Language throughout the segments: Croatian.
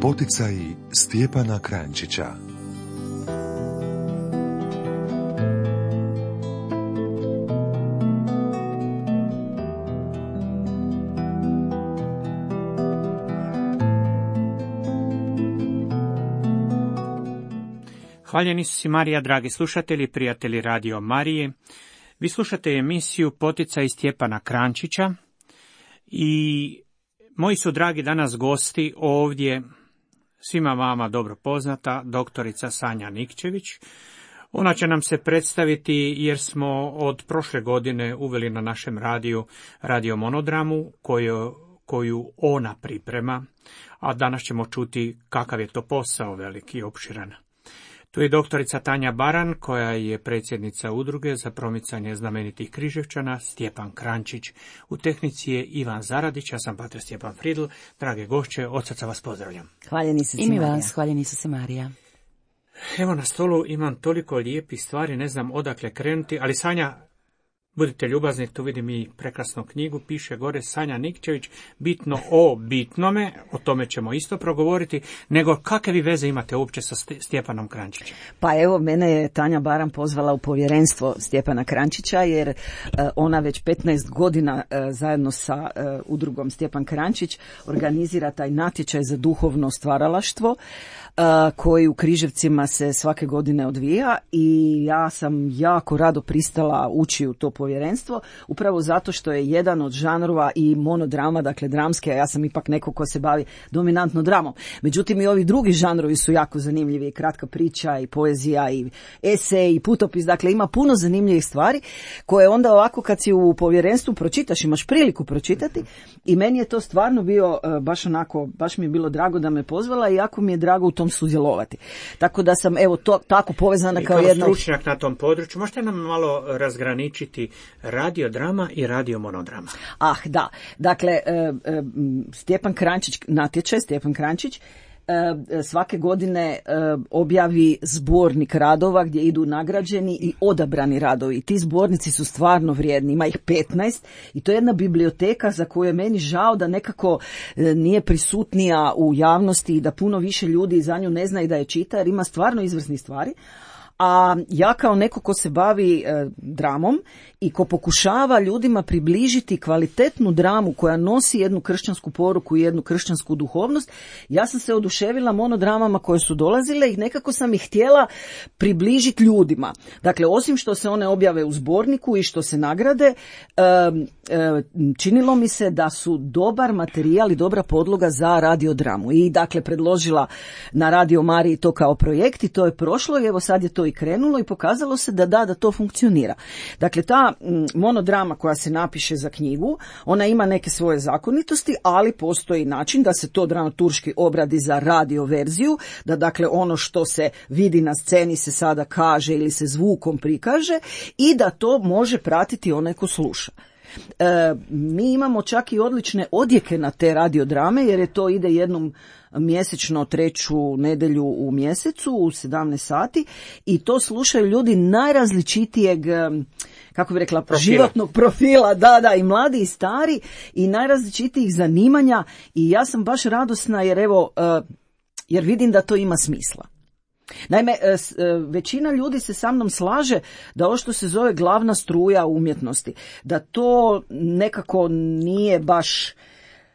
Poticaji Stjepana Kranjčića. Hvaljeni su si Marija, dragi slušatelji, prijatelji Radio Marije. Vi slušate emisiju Poticaji Stjepana Kranjčića i moji su dragi danas gosti ovdje, svima vama dobro poznata, doktorica Sanja Nikčević. Ona će nam se predstaviti jer smo od prošle godine uveli na našem radiju radio monodramu koju ona priprema, a danas ćemo čuti kakav je to posao veliki i opširan. Tu je doktorica Tanja Baran, koja je predsjednica udruge za promicanje znamenitih Križevčana, Stjepan Kranjčić. U tehnici je Ivan Zaradić, ja sam pater Stjepan Fridl. Drage gošće, od srca vas pozdravljam. Hvaljeni su se I mi Marija. vas, hvaljeni su se Marija. Evo na stolu imam toliko lijepih stvari, ne znam odakle krenuti, ali Sanja, budite ljubazni, tu vidim i prekrasnu knjigu, piše gore Sanja Nikčević, bitno o bitnome, o tome ćemo isto progovoriti, nego kakve vi veze imate uopće sa Stjepanom Kranjčićem? Pa evo, mene je Tanja Baran pozvala u povjerenstvo Stjepana Kranjčića, jer ona već 15 godina zajedno sa udrugom Stjepan Kranjčić organizira taj natječaj za duhovno stvaralaštvo, koji u Križevcima se svake godine odvija, i ja sam jako rado pristala ući u to povjerenstvo, upravo zato što je jedan od žanrova i monodrama, dakle dramske, a ja sam ipak neko ko se bavi dominantno dramom. Međutim, i ovi drugi žanrovi su jako zanimljivi, i kratka priča, i poezija, i esej, i putopis, dakle ima puno zanimljivih stvari koje onda ovako kad si u povjerenstvu pročitaš, imaš priliku pročitati, i meni je to stvarno bio baš mi je bilo drago da me pozvala, i jako mi je drago u tom sudjelovati. Tako da sam evo to tako povezana kao jedna stručnjak na tom području. Možete nam malo razgraničiti radiodrama i radiomonodrama? Da. Dakle, Stjepan Kranjčić, natječaj Stjepan Kranjčić svake godine objavi zbornik radova gdje idu nagrađeni i odabrani radovi. I ti zbornici su stvarno vrijedni, ima ih 15, i to je jedna biblioteka za koju je meni žao da nekako nije prisutnija u javnosti i da puno više ljudi za nju ne zna i da je čita, jer ima stvarno izvrsnih stvari. A ja kao neko ko se bavi dramom i ko pokušava ljudima približiti kvalitetnu dramu koja nosi jednu kršćansku poruku i jednu kršćansku duhovnost, ja sam se oduševila monodramama koje su dolazile i nekako sam ih htjela približiti ljudima. Dakle, osim što se one objave u zborniku i što se nagrade, činilo mi se da su dobar materijal i dobra podloga za radiodramu. I dakle predložila na Radio Mariji to kao projekt, i to je prošlo, i evo sad je to i krenulo, i pokazalo se da to funkcionira. Dakle, ta monodrama koja se napiše za knjigu, ona ima neke svoje zakonitosti, ali postoji način da se to dramaturški obradi za radio verziju, da dakle ono što se vidi na sceni se sada kaže ili se zvukom prikaže, i da to može pratiti onaj ko sluša. Mi imamo čak i odlične odjeke na te radiodrame, jer je to ide jednom mjesečno, treću nedjelju u mjesecu u 17 sati, i to slušaju ljudi najrazličitijeg, kako bi rekla, životnog profila, i mladi i stari, i najrazličitijih zanimanja, i ja sam baš radosna jer vidim da to ima smisla. Naime, većina ljudi se sa mnom slaže da ovo što se zove glavna struja umjetnosti, da to nekako nije baš,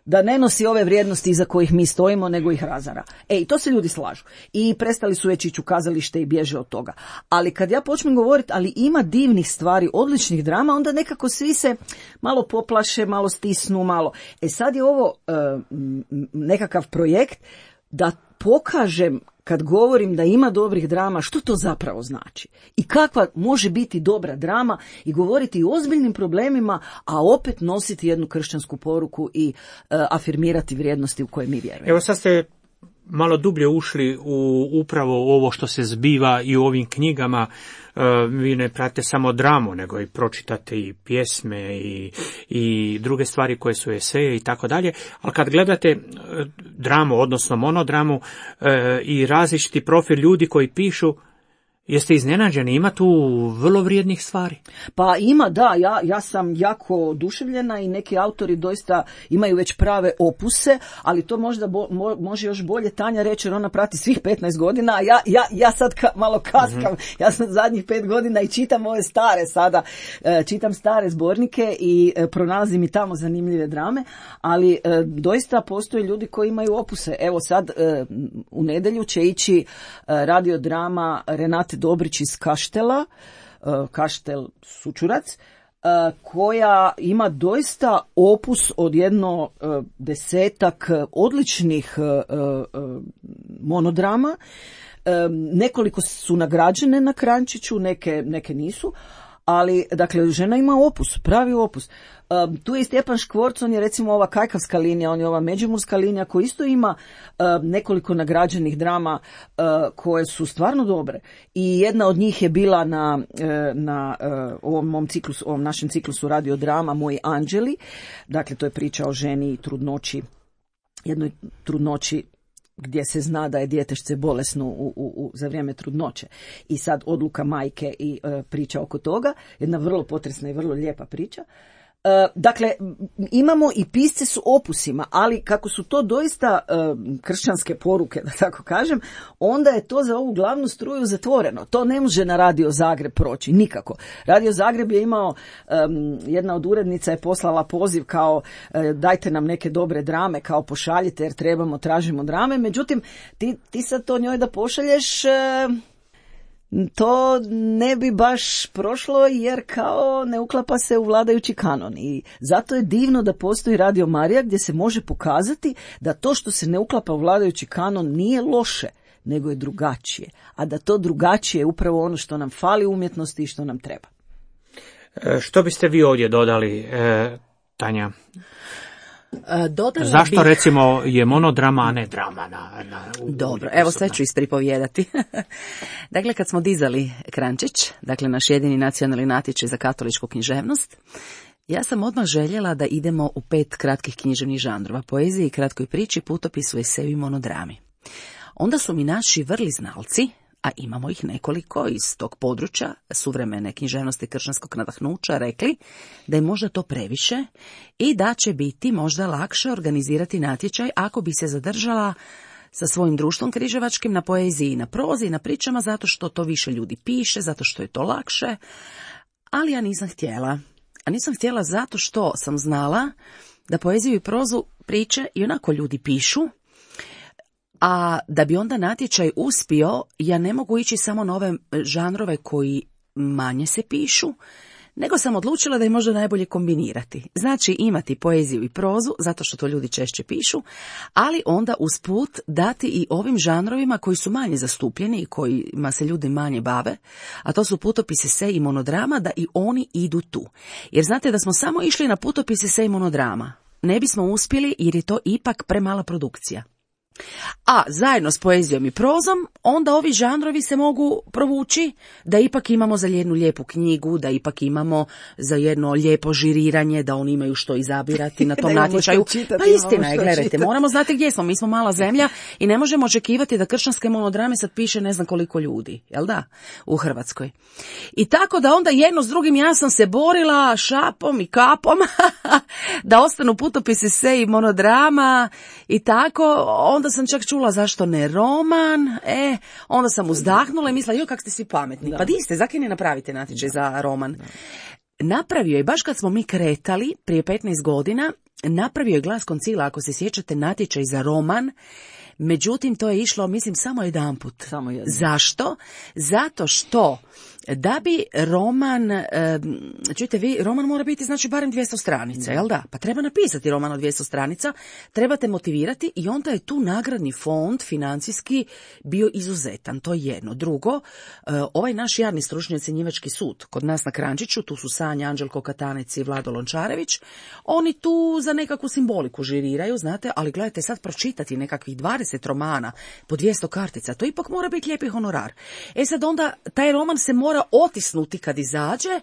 da ne nosi ove vrijednosti iza kojih mi stojimo, nego ih razara. I to se ljudi slažu. I prestali su već ići u kazalište i bježe od toga. Ali kad ja počnem govoriti, ali ima divnih stvari, odličnih drama, onda nekako svi se malo poplaše, malo stisnu, malo. Sad je ovo nekakav projekt da pokažem, kad govorim da ima dobrih drama, što to zapravo znači i kakva može biti dobra drama, i govoriti o ozbiljnim problemima, a opet nositi jednu kršćansku poruku i afirmirati vrijednosti u koje mi vjerujemo. Evo sad ste malo dublje ušli u upravo ovo što se zbiva i u ovim knjigama. Vi ne pratite samo dramu, nego i pročitate i pjesme i druge stvari koje su eseje i tako dalje. Ali kad gledate dramu, odnosno monodramu, i različiti profil ljudi koji pišu, Jeste iznenađeni, ima tu vrlo vrijednih stvari? Pa ima, da, ja sam jako oduševljena i neki autori doista imaju već prave opuse, ali to možda može još bolje Tanja reći, jer ona prati svih 15 godina, a ja sad malo kaskam, ja sam zadnjih 5 godina i čitam ove stare sada, čitam stare zbornike i pronalazim i tamo zanimljive drame, ali doista postoje ljudi koji imaju opuse. Evo sad u nedjelju će ići radiodrama Renate Dobrić iz Kaštela, Kaštel Sučurac, koja ima doista opus od jedno 10 odličnih monodrama. Nekoliko su nagrađene na Kranjčiću, neke nisu, ali dakle žena ima opus, pravi opus. Tu je i Stjepan Škvorc, on je recimo ova kajkavska linija, on je ova međimurska linija koja isto ima nekoliko nagrađenih drama koje su stvarno dobre. I jedna od njih je bila na ovom našem ciklusu radiodrama Moji anđeli. Dakle, to je priča o ženi i trudnoći, jednoj trudnoći gdje se zna da je djetešce bolesno za vrijeme trudnoće. I sad odluka majke i priča oko toga. Jedna vrlo potresna i vrlo lijepa priča. Dakle, imamo i pisce s opusima, ali kako su to doista kršćanske poruke, da tako kažem, onda je to za ovu glavnu struju zatvoreno. To ne može na Radio Zagreb proći, nikako. Radio Zagreb je imao, jedna od urednica je poslala poziv kao dajte nam neke dobre drame, kao pošaljite jer tražimo drame, međutim ti sad to njoj da pošalješ, to ne bi baš prošlo jer kao ne uklapa se u vladajući kanon i zato je divno da postoji Radio Marija gdje se može pokazati da to što se ne uklapa u vladajući kanon nije loše, nego je drugačije, a da to drugačije je upravo ono što nam fali u umjetnosti i što nam treba. Što biste vi ovdje dodali, Tanja? Zašto bih... recimo je monodrama, a ne drama? Dobro, evo sve ću ispripovijedati. Dakle, kad smo dizali Kranjčić, dakle naš jedini nacionalni natječaj za katoličku književnost, ja sam odmah željela da idemo u 5 kratkih književnih žanrova, poeziji, kratkoj priči, putopisu, eseju, monodrami. Onda su mi naši vrli znalci, a imamo ih nekoliko iz tog područja suvremene književnosti kršćanskog nadahnuća, rekli da je možda to previše i da će biti možda lakše organizirati natječaj ako bi se zadržala sa svojim društvom križevačkim na poeziji i na prozi i na pričama, zato što to više ljudi piše, zato što je to lakše, ali ja nisam htjela. A nisam htjela zato što sam znala da poeziju i prozu priče i onako ljudi pišu, a da bi onda natječaj uspio, ja ne mogu ići samo na ove žanrove koji manje se pišu, nego sam odlučila da je možda najbolje kombinirati. Znači imati poeziju i prozu, zato što to ljudi češće pišu, ali onda usput dati i ovim žanrovima koji su manje zastupljeni i kojima se ljudi manje bave, a to su putopis, esej i monodrama, da i oni idu tu. Jer znate da smo samo išli na putopis, esej i monodrama, ne bismo uspjeli jer je to ipak premala produkcija. A zajedno s poezijom i prozom, onda ovi žanrovi se mogu provući da ipak imamo za jednu lijepu knjigu, da ipak imamo za jedno lijepo žiriranje, da oni imaju što izabirati na tom natječaju. Pa istina je, gledajte, moramo znati gdje smo, mi smo mala zemlja i ne možemo očekivati da kršćanske monodrame sad piše ne znam koliko ljudi, jel da, u Hrvatskoj. I tako da onda jedno s drugim ja sam se borila šapom i kapom da ostanu putopisi, esej i monodrama i tako, onda sam čak čula zašto ne roman, onda sam uzdahnula i mislila, joj kak ste svi pametni. Da. Pa di ste, zakaj ne napravite natječaj za roman? Napravio je, baš kad smo mi kretali prije 15 godina, napravio je Glas Koncila, ako se sjećate, natječaj za roman, međutim to je išlo, mislim, samo jedanput. Zašto? Zato što da bi roman, čujte vi, roman mora biti znači barem 200 stranica, jel da? Pa treba napisati roman od 200 stranica, trebate motivirati i onda je tu nagradni fond financijski bio izuzetan, to je jedno. Drugo, ovaj naš javni stručni ocjenjivački sud, kod nas na Kranjčiću, tu su Sanja, Anđelko Katanec i Vlado Lončarević, oni tu za nekakvu simboliku žiriraju, znate, ali gledajte sad pročitati nekakvih 20 romana po 200 kartica, to ipak mora biti lijepi honorar. Sad onda taj roman se mora mora otisnuti kad izađe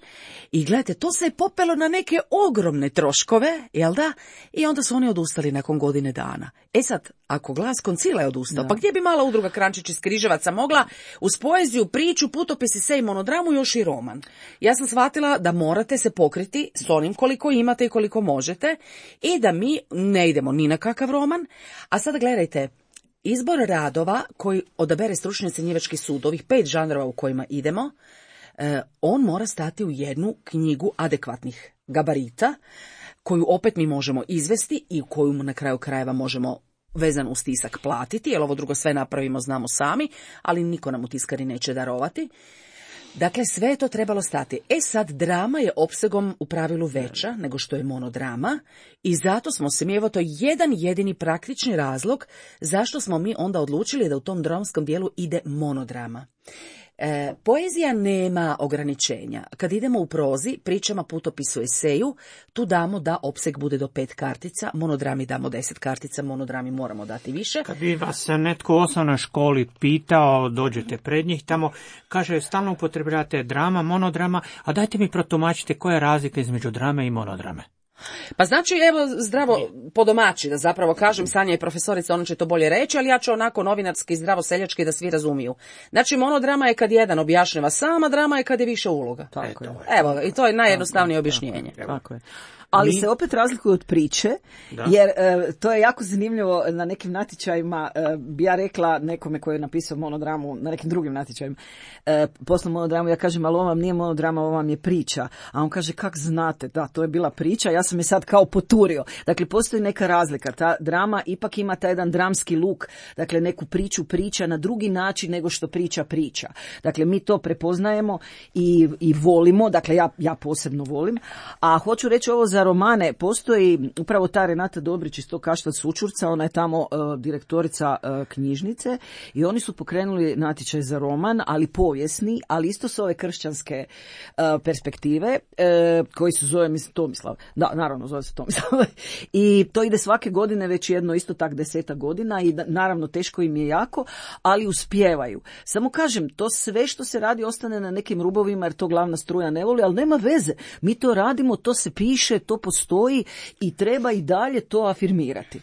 i gledajte, to se je popelo na neke ogromne troškove, jel da? I onda su oni odustali nakon godine dana. E sad, ako Glas Koncila je odustao, pa gdje bi mala udruga Krančić iz Križevaca mogla uz poeziju, priču, putopis, esej, monodramu još i roman? Ja sam shvatila da morate se pokriti s onim koliko imate i koliko možete i da mi ne idemo ni na kakav roman. A sada gledajte, izbor radova koji odabere stručni ocjenjivački sud, ovih 5 žanrova u kojima idemo, on mora stati u jednu knjigu adekvatnih gabarita, koju opet mi možemo izvesti i koju na kraju krajeva možemo vezan uz tisak platiti, jer ovo drugo sve napravimo, znamo sami, ali niko nam u tiskari neće darovati. Dakle, sve je to trebalo stati. E sad, drama je opsegom u pravilu veća nego što je monodrama i zato smo se mi, evo to je jedan jedini praktični razlog zašto smo mi onda odlučili da u tom dramskom dijelu ide monodrama. Poezija nema ograničenja. Kad idemo u prozi, pričama, putopisu, eseju, tu damo da opseg bude do 5 kartica, monodrami damo 10 kartica, monodrami moramo dati više. Kad bi vas netko u osnovnoj školi pitao, dođete pred njih tamo, kaže, stalno upotrebljavate drama, monodrama, a dajte mi protumačite koja je razlika između drame i monodrame. Pa znači, evo, zdravo po domaći, da zapravo kažem, Sanja je profesorica, ona će to bolje reći, ali ja ću onako novinarski, zdravo seljački da svi razumiju. Znači, monodrama je kad jedan objašnjava sama, drama je kad je više uloga. Tako je. Evo, i to je najjednostavnije objašnjenje. Tako je. Ali se opet razlikuju od priče, jer to je jako zanimljivo na nekim natječajima, bi ja rekla nekome koji je napisao monodramu, na nekim drugim natječajima, poslom monodramu, ja kažem, ali ovo vam nije monodrama, ovo vam je priča. A on kaže, kak znate, da, to je bila priča, ja sam je sad kao poturio. Dakle, postoji neka razlika, ta drama ipak ima taj jedan dramski luk, dakle, neku priču priča na drugi način nego što priča. Dakle, mi to prepoznajemo i volimo, dakle, ja posebno volim, a hoću reći ovo za romane, postoji upravo ta Renata Dobrić iz tog Kaštel Sučurca, ona je tamo direktorica knjižnice i oni su pokrenuli natječaj za roman, ali povijesni, ali isto s ove kršćanske perspektive, koji se zove, mislim, Tomislav. Da, naravno, zove se Tomislav. I to ide svake godine već jedno isto tak 10 godina i naravno teško im je jako, ali uspijevaju. Samo kažem, to sve što se radi ostane na nekim rubovima jer to glavna struja ne voli, ali nema veze. Mi to radimo, to se piše, to postoji i treba i dalje to afirmirati.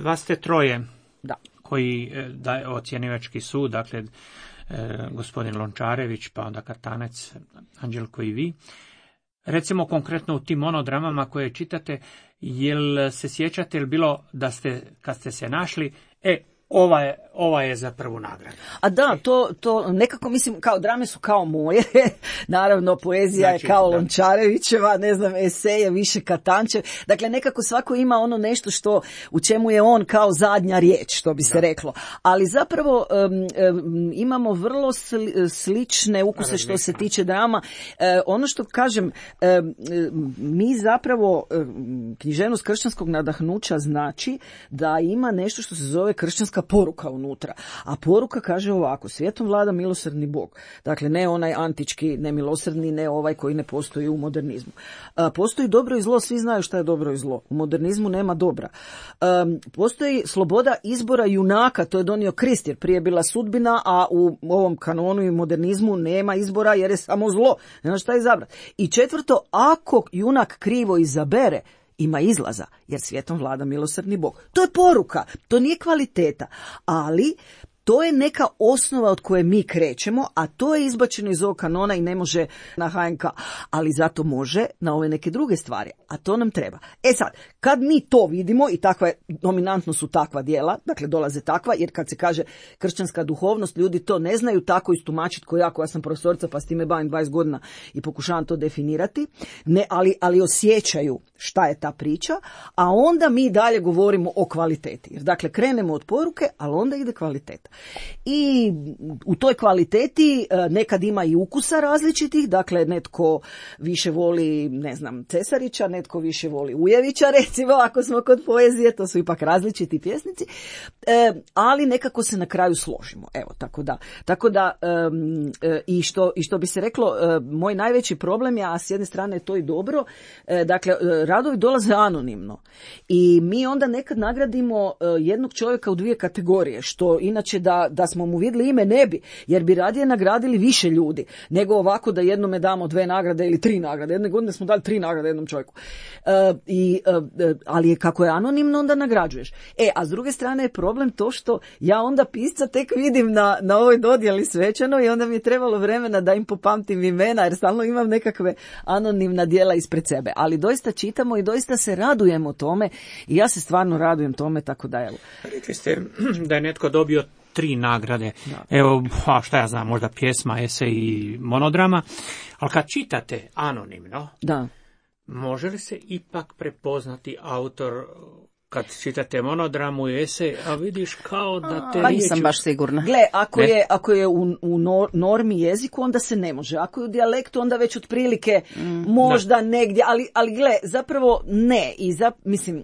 Vas ste troje da. Koji daje ocjenivački sud, dakle gospodin Lončarević, pa onda Katanec, Anđelko i vi. Recimo konkretno u tim monodramama koje čitate, jel se sjećate ili bilo da ste, kad ste se našli, ova je za prvu nagradu. A da, to nekako mislim, kao drame su kao moje, naravno poezija znači, je kao Lončarevićeva, ne znam, eseje više Katančev, dakle nekako svako ima ono nešto što, u čemu je on kao zadnja riječ, što bi se reklo, ali zapravo imamo vrlo slične ukuse što se tiče drama. Ono što kažem, mi zapravo književnost kršćanskog nadahnuća znači da ima nešto što se zove kršćanska poruka unutra. A poruka kaže ovako, svijetom vlada milosrdni Bog. Dakle, ne onaj antički, ne milosrdni, ne ovaj koji ne postoji u modernizmu. Postoji dobro i zlo, svi znaju šta je dobro i zlo. U modernizmu nema dobra. Postoji sloboda izbora junaka, to je donio Krist, jer prije je bila sudbina, a u ovom kanonu i modernizmu nema izbora jer je samo zlo. Nema šta izabrati. I četvrto, ako junak krivo izabere, ima izlaza, jer svijetom vlada milosrdni Bog. To je poruka, to nije kvaliteta, ali to je neka osnova od koje mi krećemo, a to je izbačeno iz ovog kanona i ne može na HNK, ali zato može na ove neke druge stvari, a to nam treba. E sad, kad mi to vidimo i takva, dominantno su takva djela, dakle dolaze takva, jer kad se kaže kršćanska duhovnost, ljudi to ne znaju tako istumačiti ko ja sam profesorica pa s time bavim 20 godina i pokušavam to definirati, ne, ali osjećaju šta je ta priča, a onda mi dalje govorimo o kvaliteti. Jer dakle krenemo od poruke, ali onda ide kvaliteta. I u toj kvaliteti nekad ima i ukusa različitih, dakle netko više voli, ne znam, Cesarića, netko više voli Ujevića, recimo, ako smo kod poezije, to su ipak različiti pjesnici, ali nekako se na kraju složimo. Evo, tako da i što bi se reklo, moj najveći problem je, a s jedne strane je to i dobro, dakle, radovi dolaze anonimno i mi onda nekad nagradimo jednog čovjeka u 2 kategorije, što inače da smo mu vidjeli ime, ne bi, jer bi radije nagradili više ljudi, nego ovako da jednome damo 2 nagrade ili 3 nagrade. Jedne godine smo dali 3 nagrade jednom čovjeku. Ali je kako je anonimno, onda nagrađuješ. A s druge strane je problem to što ja onda pisca tek vidim na ovoj dodjeli svečanoj i onda mi je trebalo vremena da im popamtim imena, jer stalno imam nekakve anonimna djela ispred sebe. Ali doista čitamo i doista se radujemo tome i ja se stvarno radujem tome, tako da evo. Rekli ste da je netko dobio 3 nagrade. Da. Evo, šta ja znam, možda pjesma, esej i monodrama, ali kad čitate anonimno, Da. može li se ipak prepoznati autor kad čitate monodramu i esej, a vidiš kao da te Nisam baš sigurna. Gle, ako je u normi jeziku, onda se ne može. Ako je u dijalektu, onda već otprilike možda negdje, ali gle, zapravo ne. Mislim,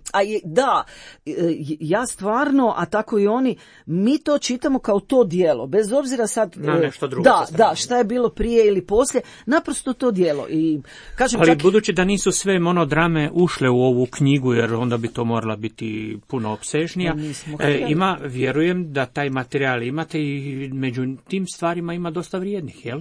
ja stvarno, a tako i oni, mi to čitamo kao to djelo, bez obzira sad na nešto drugo. Da, šta je bilo prije ili poslije, naprosto to djelo. I kažem, ali budući da nisu sve monodrame ušle u ovu knjigu, jer onda bi to morala biti puno opsežnija, vjerujem da taj materijal imate i među tim stvarima ima dosta vrijednih, jel?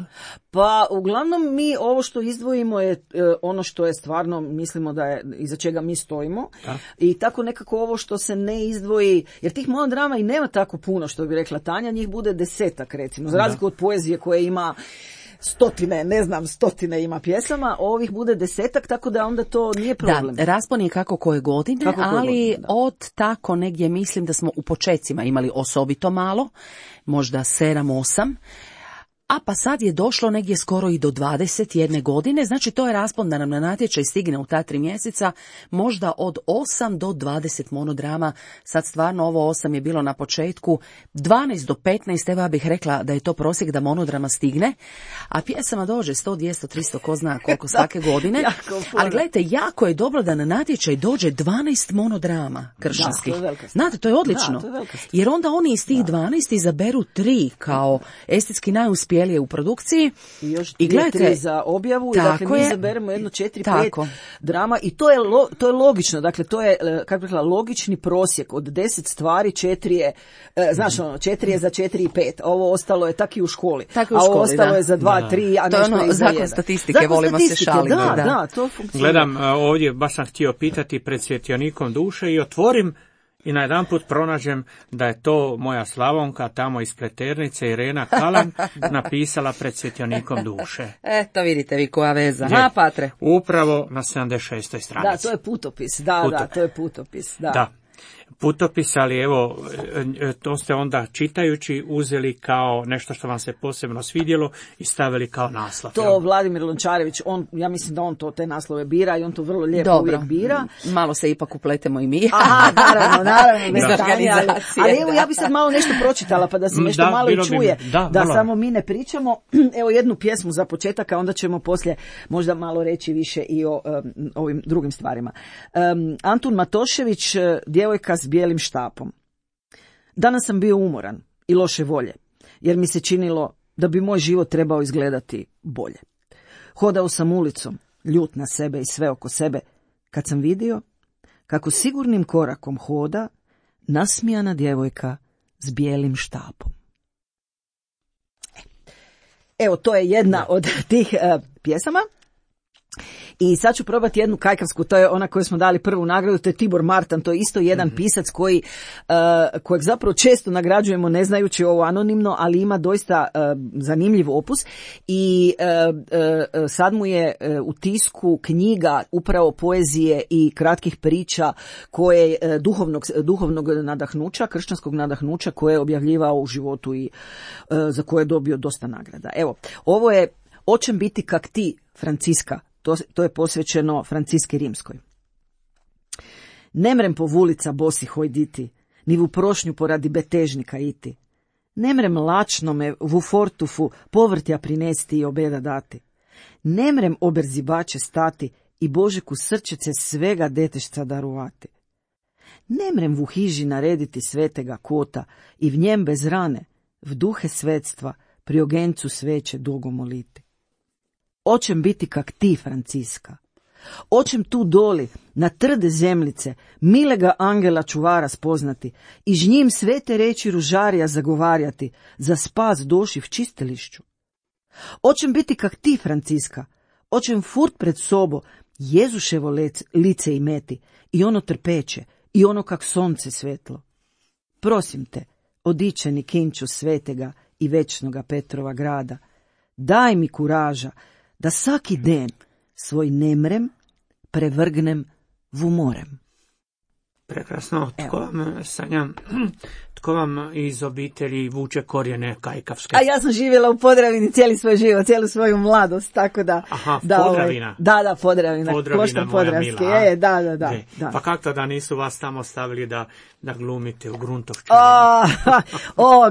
Pa uglavnom mi ovo što izdvojimo je ono što je stvarno, mislimo da je iza čega mi stojimo. Da. I tako nekako ovo što se ne izdvoji, jer tih monodrama i nema tako puno, što bi rekla Tanja, njih bude 10 recimo, za razliku od poezije koje ima stotine ima pjesama, ovih bude 10, tako da onda to nije problem. Da, raspon je kako koje godine, ali od tako negdje mislim da smo u počecima imali osobito malo, možda 7-8, a pa sad je došlo negdje skoro i do 21 godine, znači to je raspon da nam na natječaj stigne u ta 3 mjeseca, možda od 8 do 20 monodrama, sad stvarno ovo 8 je bilo na početku, 12 do 15, evo ja bih rekla da je to prosjek da monodrama stigne, a pjesama dođe 100, 200, 300, ko zna koliko svake godine, ali gledajte, jako je dobro da na natječaj dođe 12 monodrama kršćanskih. Znate, to je odlično, jer onda oni iz tih 12 izaberu 3 kao estetski najuspjelije u produkciji i još i gledajte, 3 za objavu i dakle mi izaberemo jedno 4-5 drama i to je logično, dakle to je, kako bih rekla, logični prosjek od 10 stvari 4 je, znaš 4 je za 4 i 5, ovo ostalo je tak i u školi, ovo ostalo je za 2-3, a nešto je za 1. Zakon statistike, volimo se šaliti. Da, to funkcionira. Gledam ovdje, baš sam htio pitati pred svjetionikom duše i otvorim i najedanput pronađem da je to moja Slavonka tamo iz Pleternice, Irena Kalan, napisala pred svjetionikom duše. To vidite vi koja veza. Ha, Patre. Upravo na 76. stranici. Da, to je putopis. Da, to je putopis. Da. Putopis, ali evo, to ste onda čitajući uzeli kao nešto što vam se posebno svidjelo i stavili kao naslov. To Vladimir Lončarević, ja mislim da on te naslove bira i on to vrlo lijepo uvijek bira. Malo se ipak upletemo i mi. Aha, naravno. Bez organizacije. Ali evo, ja bi sad malo nešto pročitala pa da se nešto malo i čuje. Da samo mi ne pričamo. Evo jednu pjesmu za početak, a onda ćemo poslije možda malo reći više i o ovim drugim stvarima. Antun Matošević, Djevojka s bijelim štapom. Danas sam bio umoran i loše volje, jer mi se činilo da bi moj život trebao izgledati bolje. Hodao sam ulicom, ljut na sebe i sve oko sebe, kad sam vidio kako sigurnim korakom hoda nasmijana djevojka s bijelim štapom. Evo, to je jedna od tih pjesama. I sad ću probati jednu kajkavsku, to je ona koju smo dali prvu nagradu, to je Tibor Martan, to je isto jedan pisac kojeg zapravo često nagrađujemo ne znajući ovo anonimno, ali ima doista zanimljiv opus i sad mu je u tisku knjiga upravo poezije i kratkih priča koje duhovnog nadahnuća, kršćanskog nadahnuća koje je objavljivao u životu i za koje je dobio dosta nagrada. Evo, ovo je Očem biti kak ti, Franciska. To je posvećeno Franciski Rimskoj. Nemrem po vulica bosi hojditi, ni u prošnju poradi betežnika iti. Nemrem lačno me vu fortufu povrtja prinesti i obeda dati. Nemrem oberzibače stati i Božeku srčece svega detešca daruvati. Nemrem vu hiži narediti svetega kota i v njem bez rane, v duhe svetstva, pri ogencu sveće dugo moliti. Očem biti kak ti, Franciska, Oćem tu doli, na trde zemljice, milega angela čuvara spoznati, i ž njim svete reči ružarija zagovarjati, za spas doši v čistilišću. Oćem biti kak ti, Franciska, oćem furt pred sobo, Jezuševo lice imeti, i ono trpeće, i ono kak sonce svetlo. Prosim te, odičeni kinču svetega i večnoga Petrova grada, daj mi kuraža, da svaki den svoj nemrem prevrgnem v umorem. Prekrasno. Tko vam iz obitelji vuče korijene kajkavske? A ja sam živjela u Podravini cijeli svoj život, cijelu svoju mladost, tako da... Aha, da, Podravina. Da, Podravina. Podravina moja mila. Da. Pa kako to da nisu vas tamo stavili da glumite u Gruntovčani?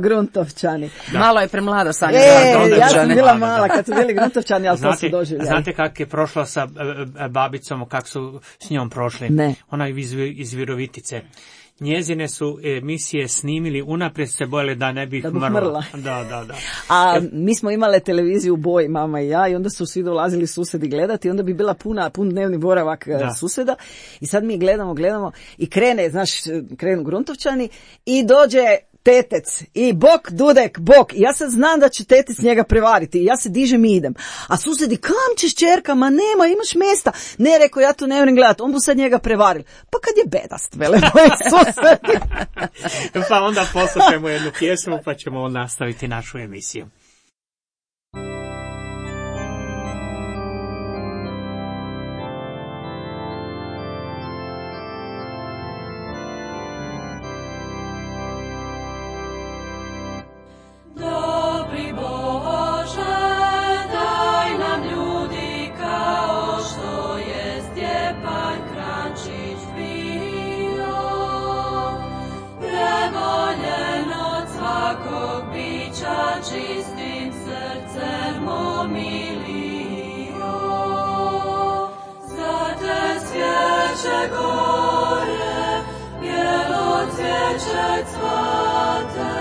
Gruntovčani. Da. Malo je premlada Sanja. Ja sam bila mala kad su bili Gruntovčani, ali to su doživljali. Znate kak je prošla sa babicom, kak su s njom prošli? Ne. Ona je iz Virovitice. Njezine su emisije snimili, unaprijed se bojali da ne bih mrla. Da. A mi smo imale televiziju u boji, mama i ja, i onda su svi dolazili susedi gledati, i onda bi bila pun dnevni boravak suseda, i sad mi gledamo i krenu Gruntovčani i dođe tetec i bok, dudek, bok. I ja sad znam da će tetec njega prevariti i ja se dižem i idem. A susedi, kam ćeš čerka? Ma nema, imaš mjesta. Ne, rekao, ja tu ne moram gledati, on bu sad njega prevaril. Pa kad je bedast, vele moji susedi. Pa onda poslušajmo jednu pjesmu pa ćemo nastaviti našu emisiju. Čistim srcem omilio, za te svijeće gore, bijelo cvijeće cvate,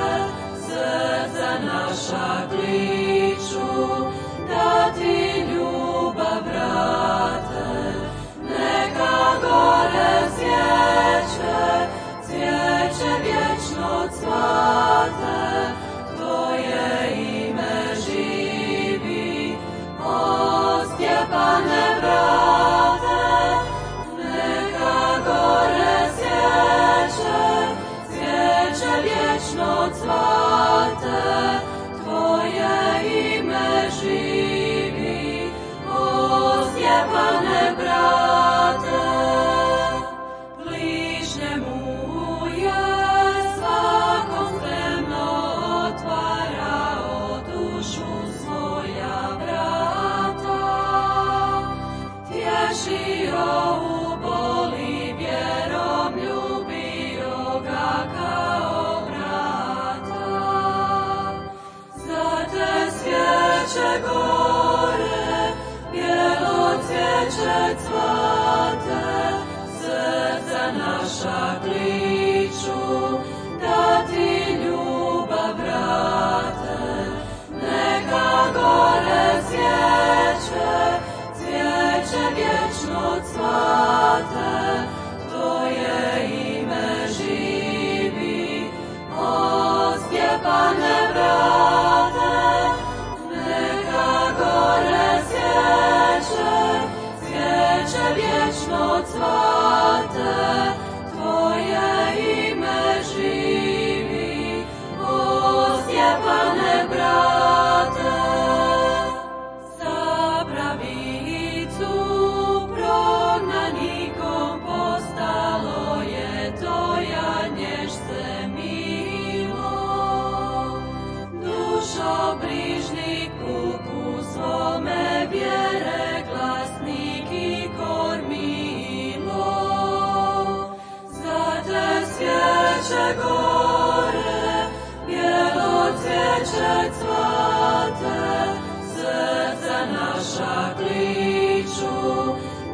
srce naša kliču, da ti ljubav vrate. Neka gore svijeće, cvijeće vječno cvate, Tvoje ime živi, o Stjepane brate. Neka gore svijeće, cvijeće vječno cvate, Tvoje ime živi, o Stjepane brate. Bližnjemu je svakom spremno otvarao dušu svoja vrata, tješio u boli vjerom, ljubio ga kao brata. Za te svijeće gore, bijelo cvijeće cvate, srce naša kliču, da ti ljubav vrate. Neka gore svijeće, cvijeće vječno cvate, Tvoje ime živi, o Stjepane brate. Neka gore svijeće, cvijeće vječno cvate, Tvoje ime živi, o Stjepane brate. Za pravicu prognanikom postalo je Tvoja nješce milo. Dušo brižnik puku svome vjere glasnik i kormilo. Za te svijeće gore, bijelo cvijeće cvate, srce naša kliču,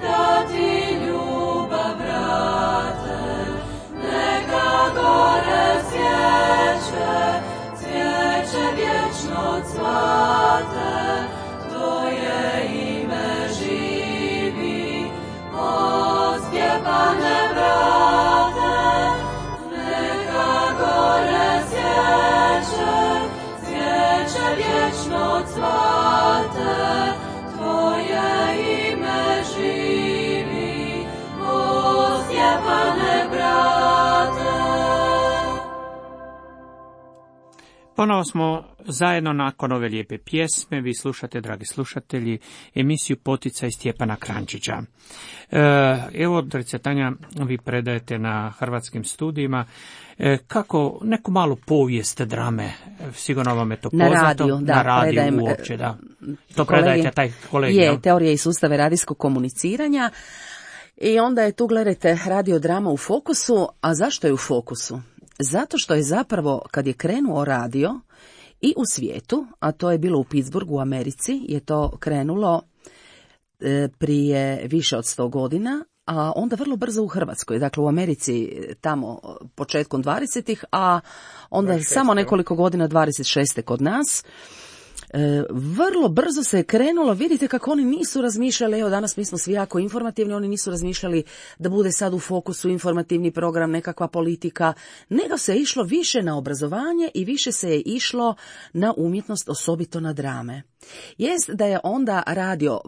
da ti ljubav vrate. Neka gore svijeće, cvijeće vječno cvate, Tvoje ime živi, Stjepane brate, neka gore svijeće vječno cvate, tvoje ime živi, o Stjepane brate. Ponovo smo zajedno nakon ove lijepe pjesme. Vi slušate, dragi slušatelji, emisiju Poticaj Stjepana Kranjčića. Evo, dragi Tanja, vi predajete na Hrvatskim studijima kako neku malu povijest drame, sigurno vam je to poznato. Na radiju predajem, uopće, da. To predajete taj kolegij. Je, teorija i sustave radijskog komuniciranja. I onda je tu, gledajte, radiodrama u fokusu. A zašto je u fokusu? Zato što je zapravo, kad je krenuo radio i u svijetu, a to je bilo u Pittsburghu u Americi, je to krenulo prije više od 100 godina, a onda vrlo brzo u Hrvatskoj. Dakle, u Americi tamo početkom 20-ih, a onda 26. samo nekoliko godina 26. kod nas. Vrlo brzo se je krenulo, vidite kako oni nisu razmišljali, evo danas mi smo svi jako informativni, oni nisu razmišljali da bude sad u fokusu informativni program, nekakva politika, nego se je išlo više na obrazovanje i više se je išlo na umjetnost, osobito na drame. Jest da je onda radio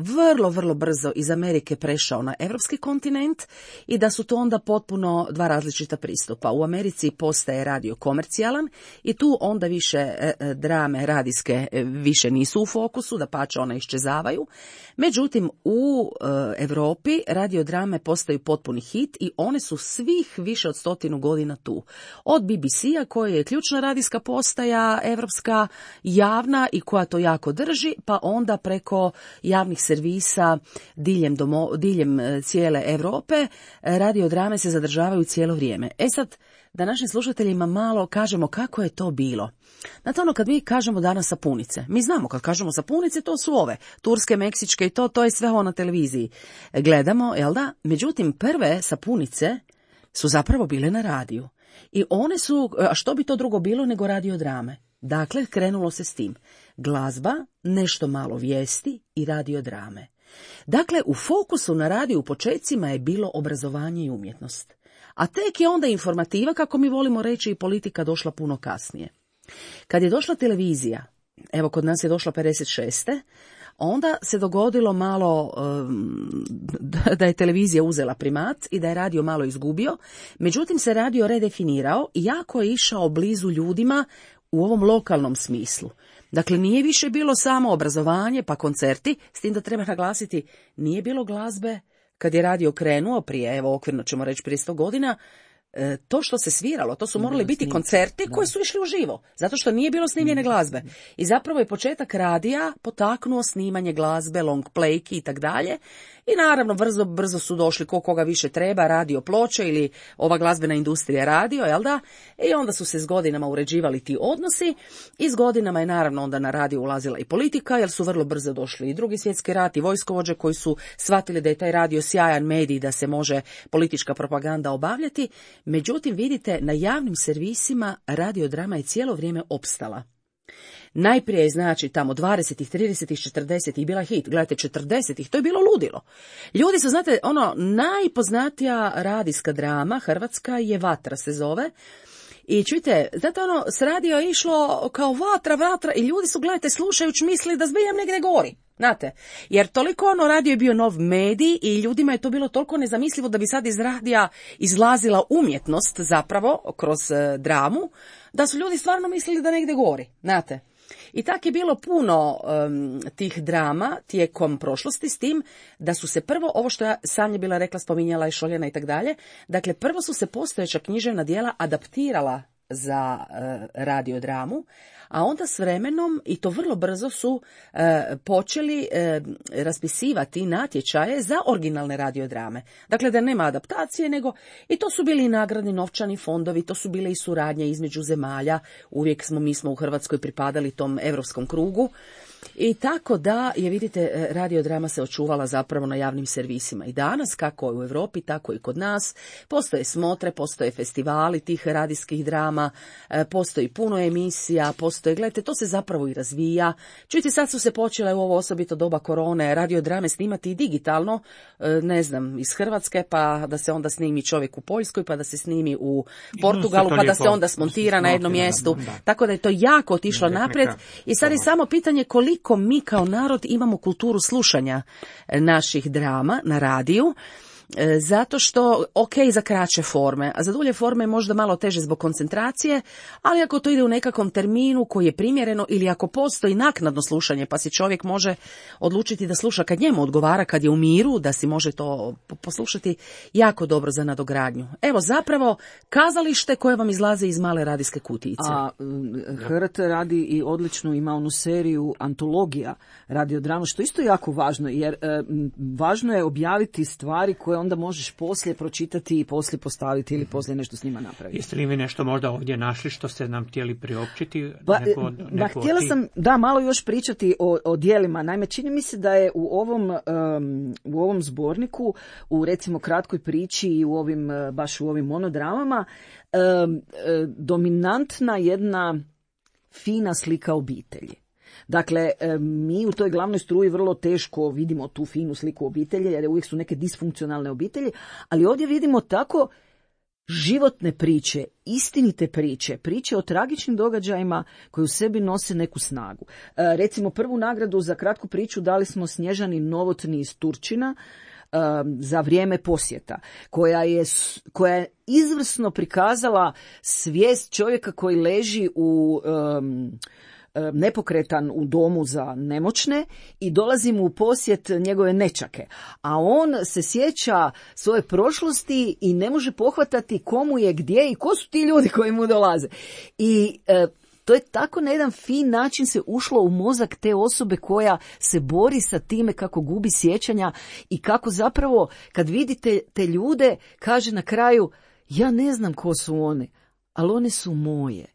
vrlo brzo iz Amerike prešao na evropski kontinent i da su to onda potpuno dva različita pristupa. U Americi postaje radio komercijalan i tu onda više drame radijske više nisu u fokusu, dapače one iščezavaju. Međutim, u Europi radiodrame postaju potpuni hit i one su svih više od 100 godina tu. Od BBC-a koja je ključna radijska postaja evropska, javna i koja to jako drži, pa onda preko javnih servisa diljem cijele Europe radiodrame se zadržavaju cijelo vrijeme. E sad, da našim slušateljima malo kažemo kako je to bilo. Znate ono, kad mi kažemo danas sapunice, mi znamo kad kažemo sapunice, to su ove, turske, meksičke i to je sve ovo na televiziji. Gledamo, jel da? Međutim, prve sapunice su zapravo bile na radiju. I one su, a što bi to drugo bilo nego radiodrame? Dakle, krenulo se s tim. Glazba, nešto malo vijesti i radiodrame. Dakle, u fokusu na radiju u početcima je bilo obrazovanje i umjetnost. A tek je onda informativa, kako mi volimo reći, i politika došla puno kasnije. Kad je došla televizija, evo kod nas je došla 56. Onda se dogodilo malo da je televizija uzela primat i da je radio malo izgubio. Međutim, se radio redefinirao i jako je išao blizu ljudima u ovom lokalnom smislu. Dakle, nije više bilo samo obrazovanje pa koncerti, s tim da treba naglasiti, nije bilo glazbe kad je radio krenuo prije, evo okvirno ćemo reći prije 100 godina, to što se sviralo, to su morali biti koncerti koji su išli uživo, zato što nije bilo snimljene glazbe. I zapravo je početak radija potaknuo snimanje glazbe, long playki i tak dalje. I naravno brzo su došli koga više treba, radio ploče ili ova glazbena industrija radio, jel da? I onda su se s godinama uređivali ti odnosi i s godinama je naravno onda na radio ulazila i politika, jer su vrlo brzo došli i Drugi svjetski rat i vojskovođe koji su shvatili da je taj radio sjajan medij, da se može politička propaganda obavljati. Međutim, vidite, na javnim servisima radiodrama je cijelo vrijeme opstala. Najprije je, znači, tamo 20-ih, 30-ih, 40-ih bila hit. Gledajte, 40-ih, to je bilo ludilo. Ljudi su, znate, najpoznatija radijska drama hrvatska je Vatra se zove. I čujte, znate, s radio je išlo kao vatra i ljudi su, gledajte, slušajući mislili da zbiljam negdje gori. Znate, jer toliko radio je bio nov medij i ljudima je to bilo toliko nezamislivo da bi sad iz radija izlazila umjetnost zapravo kroz dramu, da su ljudi stvarno mislili da negdje gori, znate. I tak je bilo puno tih drama tijekom prošlosti, s tim da su se prvo, ovo što ja sam je bila rekla, spominjala i Šoljana i tak dalje, dakle prvo su se postojeća književna djela adaptirala za radiodramu, a onda s vremenom, i to vrlo brzo, su počeli raspisivati natječaje za originalne radiodrame. Dakle, da nema adaptacije, nego i to su bili i nagradni novčani fondovi, to su bile i suradnje između zemalja. Uvijek mi smo u Hrvatskoj pripadali tom europskom krugu. I tako da je, vidite, radiodrama se očuvala zapravo na javnim servisima. I danas, kako u Europi, tako i kod nas, postoje smotre, postoje festivali tih radijskih drama, postoji puno emisija, gledajte, to se zapravo i razvija. Čujte, sad su se počele u ovo osobito doba korone radiodrame snimati i digitalno, ne znam, iz Hrvatske, pa da se onda snimi čovjek u Poljskoj, pa da se snimi u Portugalu, pa da se onda smontira na jednom mjestu. Tako da je to jako otišlo naprijed. I sad je samo pitanje koliko mi kao narod imamo kulturu slušanja naših drama na radiju, zato što, ok, za kraće forme, a za dulje forme je možda malo teže zbog koncentracije, ali ako to ide u nekakvom terminu koji je primjereno ili ako postoji naknadno slušanje, pa si čovjek može odlučiti da sluša kad njemu odgovara, kad je u miru, da si može to poslušati, jako dobro za nadogradnju. Evo, zapravo, kazalište koje vam izlaze iz male radijske kutijice. A HRT radi i odličnu, ima onu seriju antologija radiodrama, što isto jako važno, jer važno je objaviti stvari koje onda možeš poslije pročitati i poslije postaviti ili poslije nešto s njima napraviti. Jeste li vi nešto možda ovdje našli što ste nam htjeli priopćiti? Htjela sam malo još pričati o djelima. Naime, čini mi se da je u ovom zborniku, u recimo kratkoj priči i baš u ovim monodramama, dominantna jedna fina slika obitelji. Dakle, mi u toj glavnoj struji vrlo teško vidimo tu finu sliku obitelji, jer uvijek su neke disfunkcionalne obitelji, ali ovdje vidimo tako životne priče, istinite priče o tragičnim događajima koji u sebi nose neku snagu. Recimo, prvu nagradu za kratku priču dali smo Snježani Novotni iz Turčina za vrijeme posjeta, koja je izvrsno prikazala svijest čovjeka koji leži nepokretan u domu za nemoćne i dolazi mu u posjet njegove nećake. A on se sjeća svoje prošlosti i ne može pohvatati komu je gdje i ko su ti ljudi koji mu dolaze. I to je tako na jedan fin način se ušlo u mozak te osobe koja se bori sa time kako gubi sjećanja i kako zapravo kad vidite te ljude kaže na kraju ja ne znam ko su one, ali one su moje.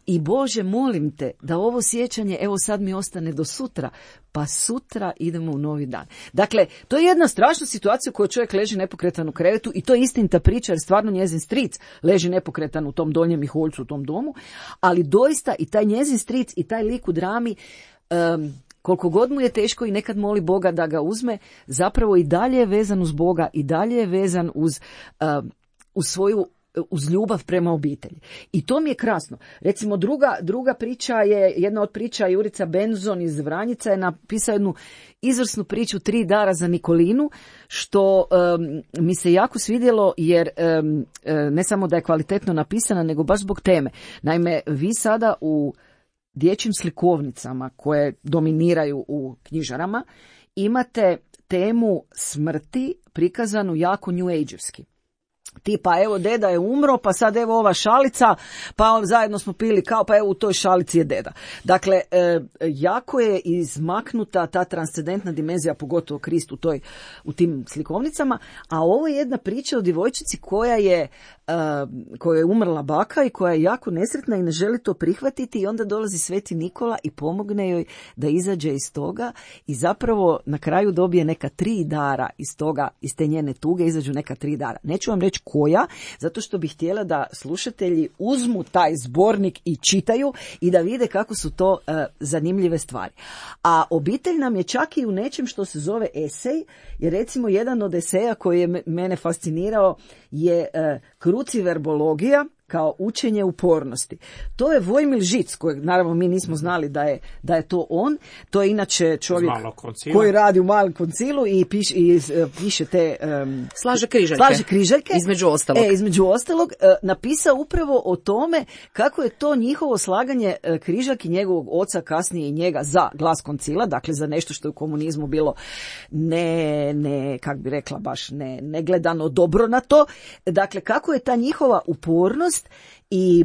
I Bože, molim te da ovo sjećanje, evo sad mi ostane do sutra, pa sutra idemo u novi dan. Dakle, to je jedna strašna situacija u kojoj čovjek leži nepokretan u krevetu i to je istinita priča jer stvarno njezin stric leži nepokretan u tom Donjem Miholjcu, u tom domu, ali doista i taj njezin stric i taj lik u drami, koliko god mu je teško i nekad moli Boga da ga uzme, zapravo i dalje je vezan uz Boga i dalje je vezan uz ljubav prema obitelji. I to mi je krasno. Recimo druga priča je, jedna od priča Jurica Benzon iz Vranjica je napisao jednu izvrsnu priču 3 dara za Nikolinu, što mi se jako svidjelo jer ne samo da je kvalitetno napisana, nego baš zbog teme. Naime, vi sada u dječjim slikovnicama koje dominiraju u knjižarama imate temu smrti prikazanu jako new age-evski. Tipa, evo, deda je umro, pa sad evo ova šalica, pa zajedno smo pili kao, pa evo u toj šalici je deda. Dakle, jako je izmaknuta ta transcendentna dimenzija, pogotovo Krist u tim slikovnicama, a ovo je jedna priča o djevojčici koja je umrla baka i koja je jako nesretna i ne želi to prihvatiti i onda dolazi Sveti Nikola i pomogne joj da izađe iz toga i zapravo na kraju dobije neka 3 dara iz te njene tuge izađu neka 3 dara. Neću vam reći koja, zato što bih htjela da slušatelji uzmu taj zbornik i čitaju i da vide kako su to zanimljive stvari. A obitelj nam je čak i u nečem što se zove esej, jer recimo jedan od eseja koji je mene fascinirao je kruciverbologija kao učenje upornosti. To je Vojmil Žic, kojeg naravno mi nismo znali da je to on. To je inače čovjek koji radi u Malom koncilu i piše te... Slaže križaljke. Između ostalog. Napisao upravo o tome kako je to njihovo slaganje križaljki njegovog oca, kasnije i njega za glas koncila, dakle za nešto što je u komunizmu bilo kak bi rekla, baš ne gledano dobro na to. Dakle, kako je ta njihova upornost i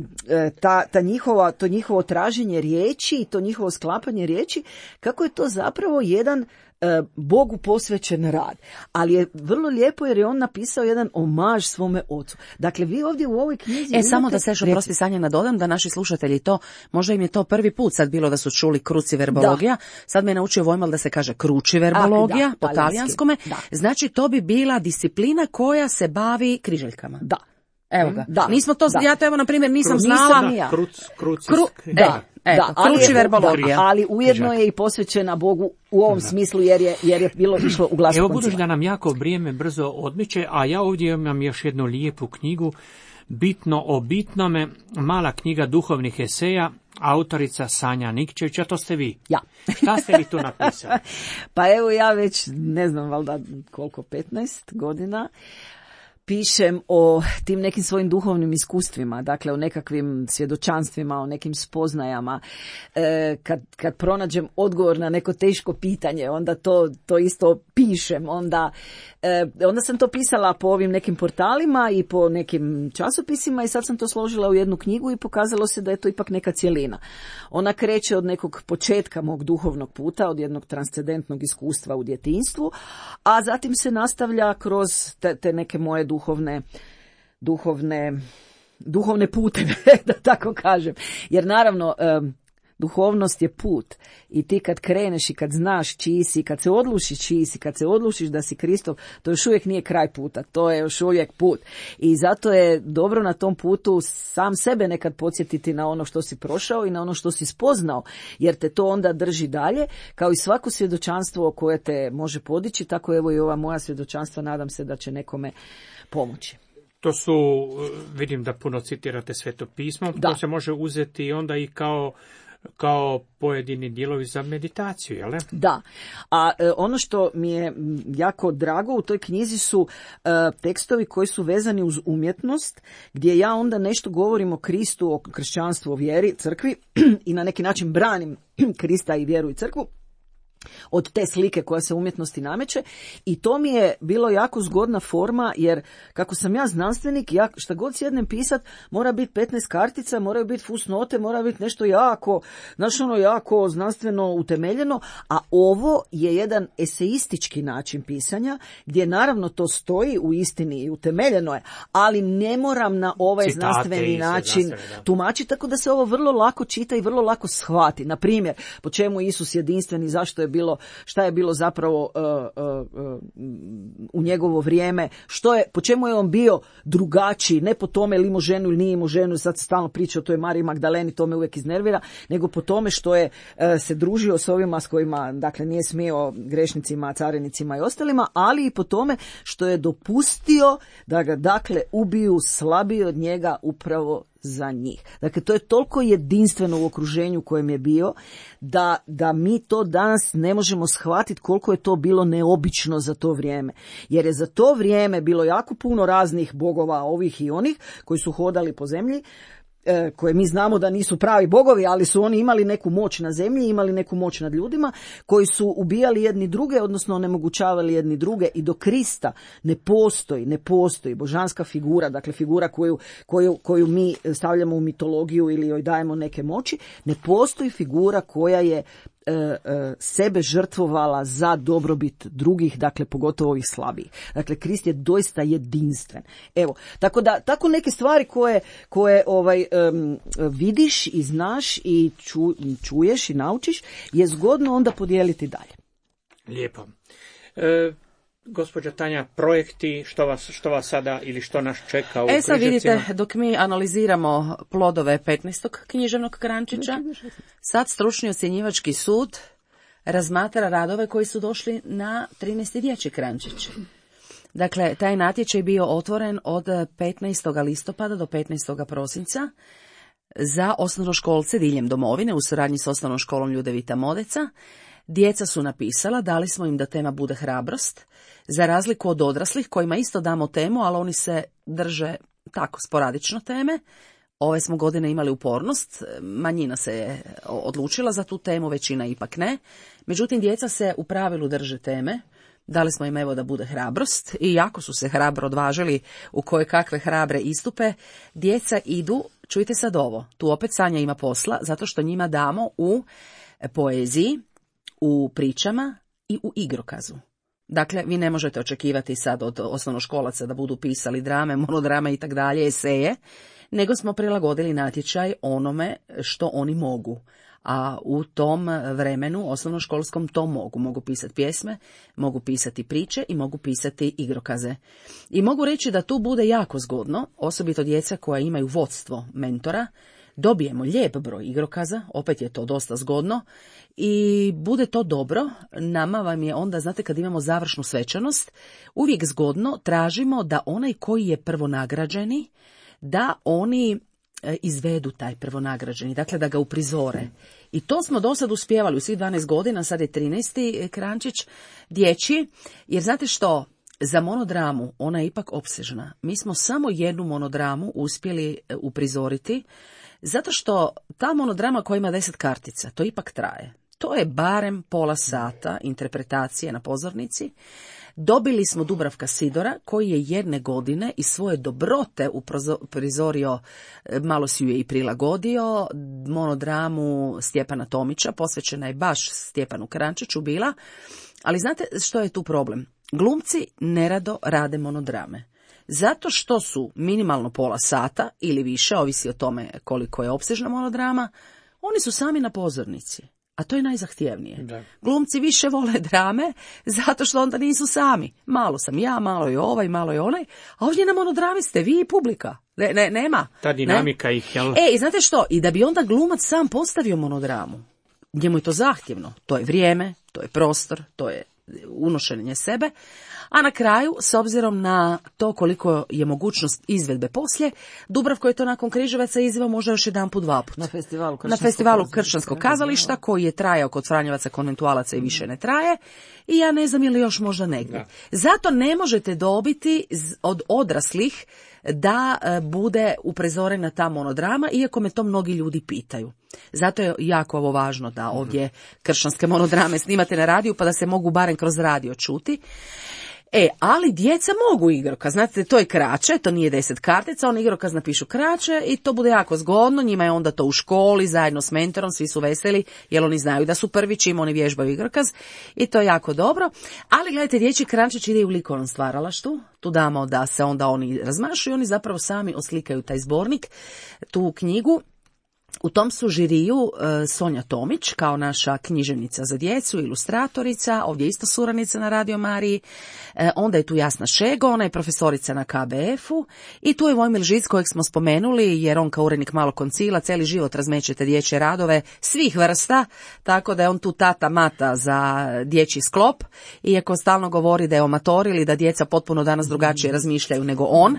to njihovo traženje riječi i to njihovo sklapanje riječi, kako je to zapravo jedan Bogu posvećen rad. Ali je vrlo lijepo jer je on napisao jedan omaž svome ocu. Dakle, vi ovdje u ovoj knjizi... Samo da se još oprosti Sanja nadodam, da naši slušatelji to, možda im je to prvi put sad bilo da su čuli kruciverbologija, sad me je naučio Vojmal da se kaže kručiverbologija, po talijanskome, znači to bi bila disciplina koja se bavi križaljkama. Da. Evo ga. Da. Nismo to, ja to evo na primjer nisam znala. Kručiverbologija. Ali ujedno je i posvećena Bogu u ovom smislu jer je bilo išlo u glasu. Evo budući da nam jako vrijeme brzo odmiče, a ja ovdje imam još jednu lijepu knjigu, Bitno o bitnome, mala knjiga duhovnih eseja, autorica Sanja Nikčević, a to ste vi. Ja. Šta ste vi tu napisali? Pa evo ja već, ne znam, valjda koliko, 15 godina, pišem o tim nekim svojim duhovnim iskustvima, dakle o nekakvim svjedočanstvima, o nekim spoznajama. Kad pronađem odgovor na neko teško pitanje, onda to isto pišem. Onda sam to pisala po ovim nekim portalima i po nekim časopisima i sad sam to složila u jednu knjigu i pokazalo se da je to ipak neka cjelina. Ona kreće od nekog početka mog duhovnog puta, od jednog transcendentnog iskustva u djetinjstvu, a zatim se nastavlja kroz te neke moje duhovne puteve, da tako kažem. Jer naravno, duhovnost je put i ti kad kreneš i kad znaš čiji si, kad se odlučiš čiji si, kad se odlučiš da si Kristov, to još uvijek nije kraj puta, to je još uvijek put. I zato je dobro na tom putu sam sebe nekad podsjetiti na ono što si prošao i na ono što si spoznao, jer te to onda drži dalje, kao i svako svjedočanstvo koje te može podići, tako evo i ova moja svjedočanstva, nadam se da će nekome pomoći. To su, vidim da puno citirate Sveto pismo, to se može uzeti onda i kao pojedini dijelovi za meditaciju, jel ne? Da, a ono što mi je jako drago u toj knjizi su tekstovi koji su vezani uz umjetnost, gdje ja onda nešto govorim o Kristu, o kršćanstvu, o vjeri, crkvi i na neki način branim Krista i vjeru i crkvu od te slike koja se umjetnosti nameće i to mi je bilo jako zgodna forma jer kako sam ja znanstvenik, ja šta god sjednem pisat mora biti 15 kartica, moraju biti fusnote, mora biti nešto jako, jako znanstveno utemeljeno, a ovo je jedan eseistički način pisanja gdje naravno to stoji u istini i utemeljeno je, ali ne moram na ovaj znanstveni način tumačiti, tako da se ovo vrlo lako čita i vrlo lako shvati. Na primjer, po čemu Isus jedinstven i zašto je bilo, šta je bilo zapravo u njegovo vrijeme, po čemu je on bio drugačiji, ne po tome li imao ženu ili nije imao ženu, sad se stalno priča o toj Mariji Magdaleni, to me uvijek iznervira, nego po tome što je se družio s ovima s kojima, dakle, nije smio grešnicima, carinicima i ostalima, ali i po tome što je dopustio da ga, dakle, ubiju slabiji od njega upravo za njih. Dakle, to je toliko jedinstveno u okruženju kojem je bio, da mi to danas ne možemo shvatiti koliko je to bilo neobično za to vrijeme. Jer je za to vrijeme bilo jako puno raznih bogova, ovih i onih, koji su hodali po zemlji, koje mi znamo da nisu pravi bogovi, ali su oni imali neku moć na zemlji, imali neku moć nad ljudima, koji su ubijali jedni druge, odnosno onemogućavali jedni druge, i do Krista ne postoji božanska figura, dakle figura koju mi stavljamo u mitologiju ili joj dajemo neke moći, ne postoji figura koja je sebe žrtvovala za dobrobit drugih, dakle pogotovo ovih slabijih. Dakle, Krist je doista jedinstven. Evo, tako neke stvari koje vidiš i znaš i čuješ i naučiš je zgodno onda podijeliti dalje. Lijepo. Gospođa Tanja, projekti, što vas sada ili što nas čeka u Križevcima? Sad vidite, dok mi analiziramo plodove 15. književnog Krančića, sad stručni ocjenjivački sud razmatra radove koji su došli na 13. dječji Krančić. Dakle, taj natječaj je bio otvoren od 15. listopada do 15. prosinca za osnovnoškolce diljem domovine u suradnji s osnovnom školom Ljudevita Modeca. Djeca su napisala, dali smo im da tema bude hrabrost, za razliku od odraslih kojima isto damo temu, ali oni se drže tako sporadično teme. Ove smo godine imali upornost, manjina se je odlučila za tu temu, većina ipak ne. Međutim, djeca se u pravilu drže teme. Dali smo im evo da bude hrabrost i jako su se hrabro odvažili u koje kakve hrabre istupe. Djeca idu, čujte sad ovo, tu opet Sanja ima posla, zato što njima damo u poeziji, u pričama i u igrokazu. Dakle, vi ne možete očekivati sad od osnovnoškolaca da budu pisali drame, monodrame i tak dalje, eseje, nego smo prilagodili natječaj onome što oni mogu. A u tom vremenu osnovnoškolskom to mogu. Mogu pisati pjesme, mogu pisati priče i mogu pisati igrokaze. I mogu reći da tu bude jako zgodno, osobito djeca koja imaju vodstvo mentora, dobijemo lijep broj igrokaza, opet je to dosta zgodno i bude to dobro. Nama vam je onda, znate, kad imamo završnu svečanost, uvijek zgodno tražimo da onaj koji je prvonagrađeni, da oni izvedu taj prvonagrađeni, dakle da ga uprizore. I to smo do sad uspjevali u svih 12 godina, sad je 13. Krančić dječji, jer znate što, za monodramu ona je ipak opsežna. Mi smo samo jednu monodramu uspjeli uprizoriti, zato što ta monodrama koja ima 10 kartica, to ipak traje. To je barem pola sata interpretacije na pozornici. Dobili smo Dubravka Sidora, koji je jedne godine iz svoje dobrote uprizorio, malo si ju je i prilagodio, monodramu Stjepana Tomića, posvećena je baš Stjepanu Krančiću bila, ali znate što je tu problem? Glumci nerado rade monodrame. Zato što su minimalno pola sata ili više, ovisi o tome koliko je opsežna monodrama, oni su sami na pozornici. A to je najzahtjevnije. Da. Glumci više vole drame, zato što onda nisu sami. Malo sam ja, malo je ovaj, malo je onaj, a ovdje na monodrami ste vi i publika. Nema. Ta dinamika ih, jel? I znate što? I da bi onda glumac sam postavio monodramu, njemu je to zahtjevno. To je vrijeme, to je prostor, to je unošenje sebe, a na kraju, s obzirom na to koliko je mogućnost izvedbe poslije, Dubravko je to nakon Križevaca izveo možda još jedanput, dvaput. Na festivalu Kršćanskog kazališta, koji je trajao kod Franjevaca, konventualaca i više ne traje, i ja ne znam ili još možda negdje. Da. Zato ne možete dobiti od odraslih da bude uprizorena ta monodrama, iako me to mnogi ljudi pitaju. Zato je jako ovo važno da ovdje kršćanske monodrame snimate na radiju, pa da se mogu barem kroz radio čuti. Ali djeca mogu igrokaz, znate, to je kraće, to nije 10 kartica, oni igrokaz napišu kraće i to bude jako zgodno, njima je onda to u školi, zajedno s mentorom, svi su veseli, jer oni znaju da su prvi čim oni vježbaju igrokaz i to je jako dobro. Ali gledajte, dječji Krančić ide u likovnom stvaralaštvu, tu damo da se onda oni razmašu i oni zapravo sami oslikaju taj zbornik, tu knjigu. U tom su žiriju Sonja Tomić, kao naša književnica za djecu, ilustratorica, ovdje isto suradnica na Radio Mariji, onda je tu Jasna Šego, ona je profesorica na KBF-u i tu je Vojmil Žic kojeg smo spomenuli, jer on kao urednik Malog koncila cijeli život razmećete dječje radove svih vrsta, tako da je on tu tata mata za dječji sklop, iako stalno govori da je amator ili da djeca potpuno danas drugačije razmišljaju nego on.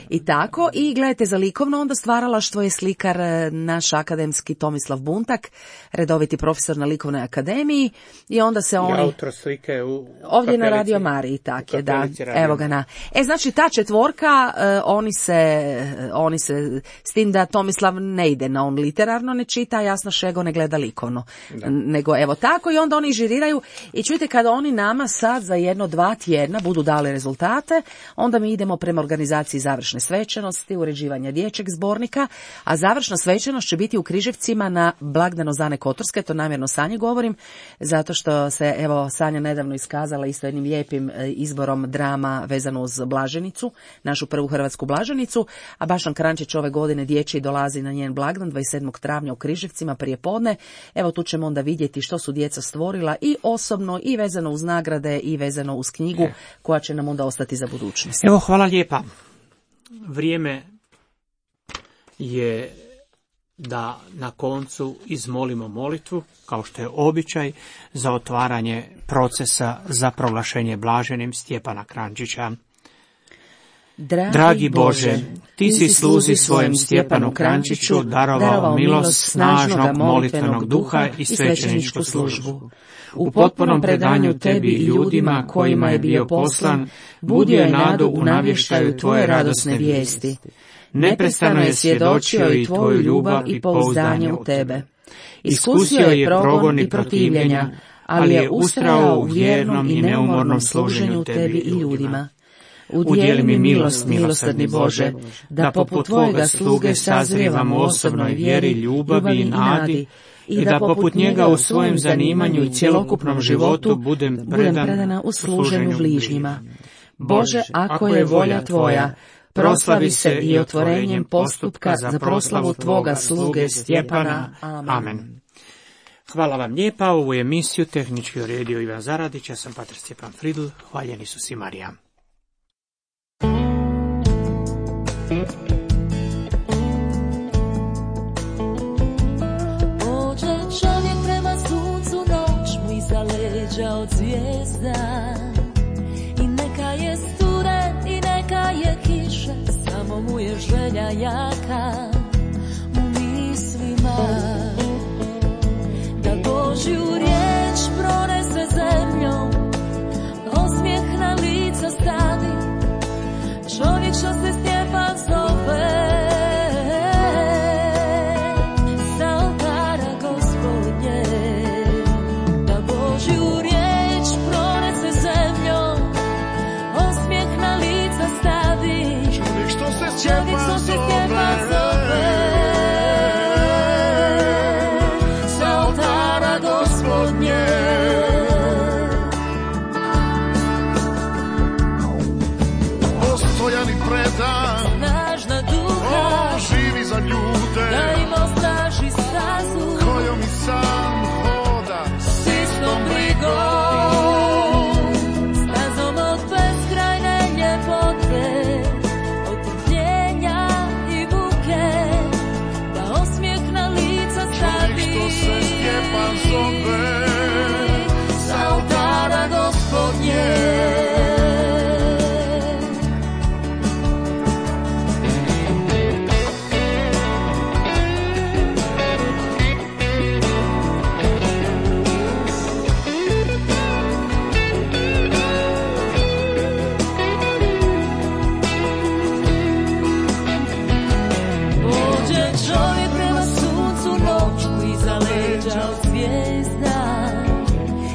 I tako, i gledajte, za likovno onda stvaralaštvo je slikar naš akademski Tomislav Buntak, redoviti profesor na Likovnoj akademiji, i onda se oni... I autor slike ovdje na Radio Mariji, tak je, da, evo ga na... Znači, ta četvorka, oni se, s tim da Tomislav ne ide na on literarno, ne čita, a Jasna Šego ne gleda likovno, nego evo tako, i onda oni žiriraju, i čujte, kada oni nama sad za 1-2 tjedna budu dali rezultate, onda mi idemo prema organizaciji završne svečanosti, uređivanja dječjeg zbornika, a završna svečanost će biti u Križevcima na blagdano Zane Kotorske, to namjerno Sanji govorim, zato što se, evo, Sanja nedavno iskazala isto jednim lijepim izborom drama vezano uz Blaženicu, našu prvu hrvatsku Blaženicu, a Bašan Krančić ove godine dječji dolazi na njen blagdan 27. travnja u Križevcima prije podne. Evo, tu ćemo onda vidjeti što su djeca stvorila i osobno, i vezano uz nagrade, i vezano uz knjigu, koja će nam onda ostati za budućnost. Evo, hvala lijepa. Vrijeme je da na koncu izmolimo molitvu, kao što je običaj, za otvaranje procesa za proglašenje blaženim Stjepana Krančića. Dragi Bože, ti si sluzi svojem Stjepanu Krančiću darovao milost snažnog molitvenog duha i svećeničku službu. U potpunom predanju tebi i ljudima kojima je bio poslan, budio je nadu u navještaju tvoje radosne vijesti. Neprestano je svjedočio i tvoju ljubav i pouzdanje u tebe. Iskusio je progon i protivljenja, ali je ustrajao u vjernom i neumornom služenju tebi i ljudima. Udijeli mi milost, milosrdni Bože, da poput tvojega sluge sazrijevam u osobnoj vjeri, ljubavi i nadi, i da poput njega u svojem zanimanju i cjelokupnom životu budem predana u služenju bližnjima. Bože, ako je volja Tvoja, proslavi se i otvorenjem postupka za proslavu Tvoga sluge Stjepana. Amen. Hvala vam lijepa, ovu emisiju tehnički uredio Ivan Zaradić, ja sam pater Stjepan Fridl, hvaljen Isus i Marija. Pođe čovjek prema suncu, noć mu iza leđa od zvijezda. I neka je studen i neka je kiša, samo mu je želja jaka u mislima. Da Božju riječ pronese zemljom, osmijeh na lica stavi, čovjek što se Stjepan zove. Sa oltara Gospodnje, da Božju riječ pronese zemljom, osmijeh na lica stavi, čovjek što se Stjepan zove. Sa oltara Gospodnje, postojan i predan, snažna duha, živi za ljude, da im ostraži stazu, kojom i sam hoda, s istom brigom, stazom od beskrajne ljepote, od trpljenja i buke, da osmijeh na lica stavi, što se Stjepan zove. sa oltara Gospodnje. Pođe čovjek prema suncu, noć mu iza leđa od zvijezda.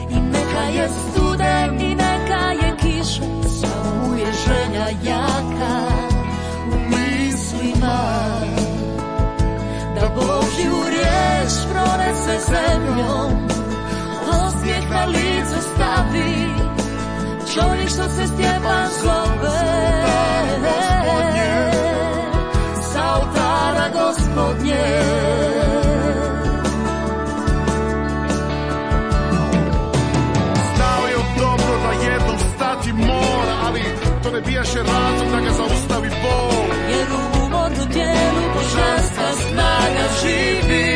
I neka je studen i neka je kiša, samo mu je želja jaka u mislima. Da Božju riječ pronese zemljom, osmijeh na lice stavi, čovjek što se Stjepan zove. Sa oltara Gospodnje, Znao je dobro da jednom stati mora, ali to ne bijaše razlog da ga zaustavi bol. jer u umornom tijelu božanska snaga živi.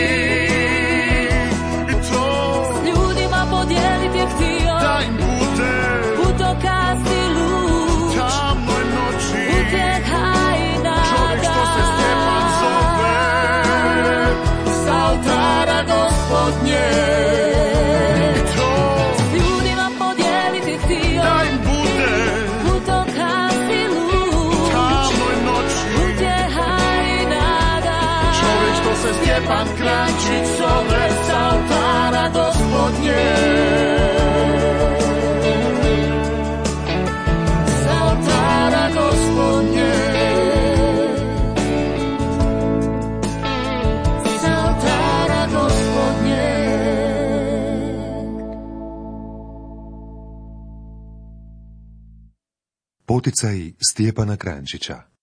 I to S ljudima podijeliti je htio, da im bude putokaz i luz, tamnoj noći, utjeha i čovjek što se Stjepan nada. zove. Sa oltara Gospodnje, I to s ljudima podijeliti htio, da im bude putokaz i luz, tamnoj noći, utjeha i nada. čovjek što se Stjepan Kranjčić zove. Sa oltara Gospodnje, Sa oltara Gospodnje, sa oltara Gospodnje. Poticaji Stjepana Kranjčića.